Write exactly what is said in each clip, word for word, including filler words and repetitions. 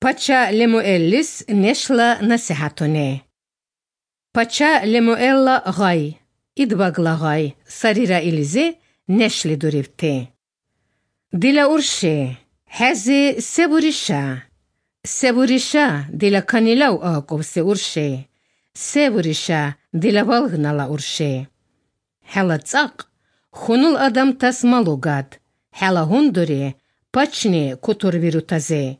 Pacha Lemuelis neshla nasihatone. Pacha Lemuella gay, idbagla gay, sarira ilize neshli durivte. Dila urshe, hazi seburisha. Seburisha dila kanilaw aqob se urshe. Seburisha dila valgnala urshe. Hela tsaq, khunul adam tas malugad. Hela hunduri, pachni kutur virutaze.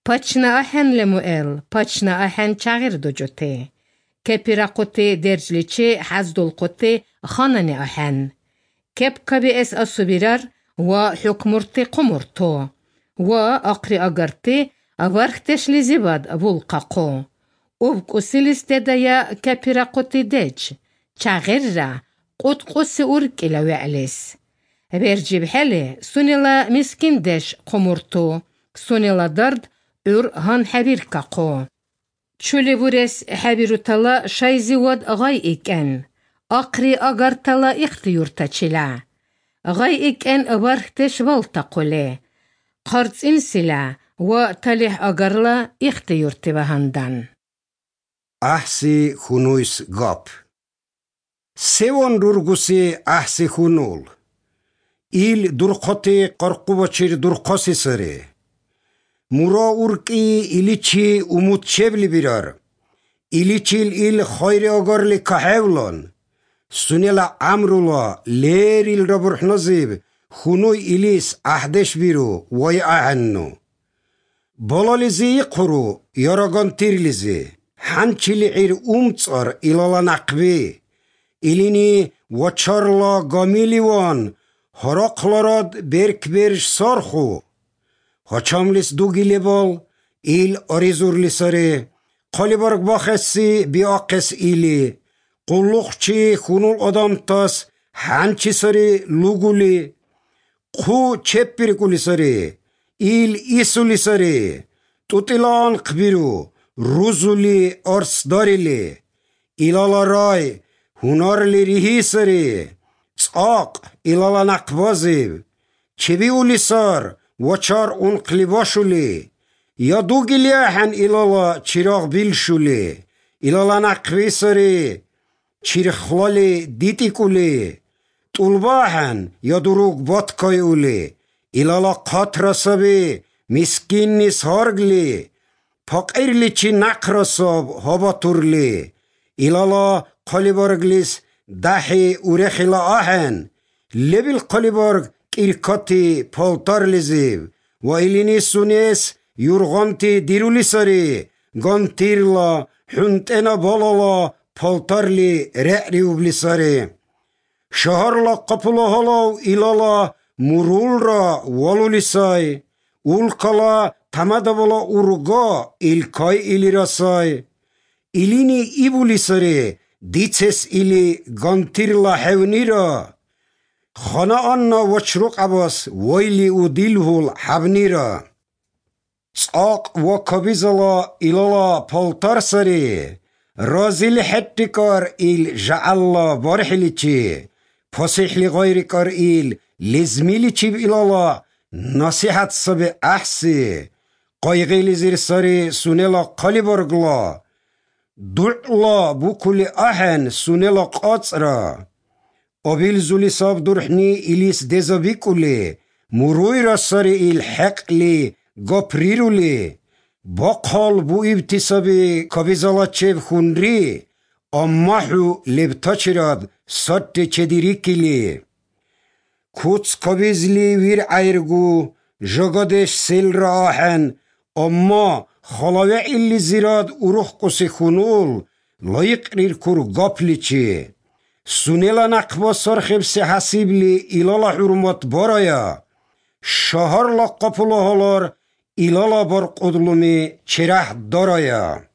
Pachna ahen Lemuel, pachna ahen chagir dojote. Kepira qote derjliche hazdul qote khanani ahen. Kep kabi es asubirar wa hukmurti qumurto. Wa aqri agarti avarhtesh lizibad vulqaqo. Ubk usilis ya kepira qote dej. Chagirra qut qusi urkila wa'lis. Berjib hele sunila miskin desh qumurto. Sunila dard ur han habir kaqo. Çöle vures habirutala şayziwad gay iken. Aqri agartala ihtiyurtaçila. Gay iken abarhteş valtaqole. Qarts insila wa talih agarla ihtiyurtivahandan. Ahsi hunuis gap. Sevon durgusi ahsi hunul. Il durqoti qarquvaçir durqasi sari. Mura urki iliçi umut çevli birar. İliçil il khayri agarli kahevlan. Sunela amrula ler il raburh nazib. Hunuy ilis ahdeş biru vay ahannu. Balalizi quru yaragan tirlizi. Hançili ir umtsar ilala naqbi. İlini vaçarla gamilivan. Haraklarad berkberş sarxu. Haçamlis dugilebal, il arizurlisari, qalibarg baxessi biaqes ili, qulluqchi khunul adamtas, hanchisari luguli, qu çeppirikulisari, il isulisari, tutilan qbiru, ruzuli arsdarili, ilalaray, hunarli rihisari, tsaq ilala naqbaziv, çeviulisar, وچار اون قلیباشولی یا دو گلیاحن ایلالا چراغ بیلشولی ایلالا نقوی سری چیرخلالی دیتی کولی طولباحن یا دروگ باتکای اولی ایلالا قطرسابی مسکین نیس هارگلی پاقیرلی چی نقرساب هابا تورلی ایلالا قلیبارگلیس دحی اورخیلا آهن لبیل قلیبارگ İrkati paltarliziv, va ilini sunes yurganti dirulisari, gantirla huntena balala paltarli re'ri ublisari. Şaharla kapula halav ilala murulra valulisay, ulkala tamadavala urga ilkay ilirasay. İlini ibulisari, dices ili gantirla hevnira, خانه آن وچروق عباس ویلی و دیلهول حبنیرا ساق و کبیزلا ایلالا پالتار سری رازیل حتیکار ایل جعلا بارحلی چی پاسیحلی غیری کار ایل لزمیلی چی ایلالا نصیحت سب احسی قایقیلی زیر سری سونیلا قلی برگلا دعلا بوکلی احن سونیلا قاطرا Abil zulisab durhni ilis dezabikuli, muruy rasari il haqli gapriruli, baqal bu ibtisabi kabizalachev khunri, ammahu lebtachirad satte chedirikili. Kuts kabizli vir ayrgu, jagadesh selra ahen, amma khalave illi zirad uruh kusi khunul, layqrir kur gaplichi. Sunela naqba sarxibsi hasibli ilala hurmat baraya. Şaharla kapulahalar ilala bar qudlumi çerah daraya.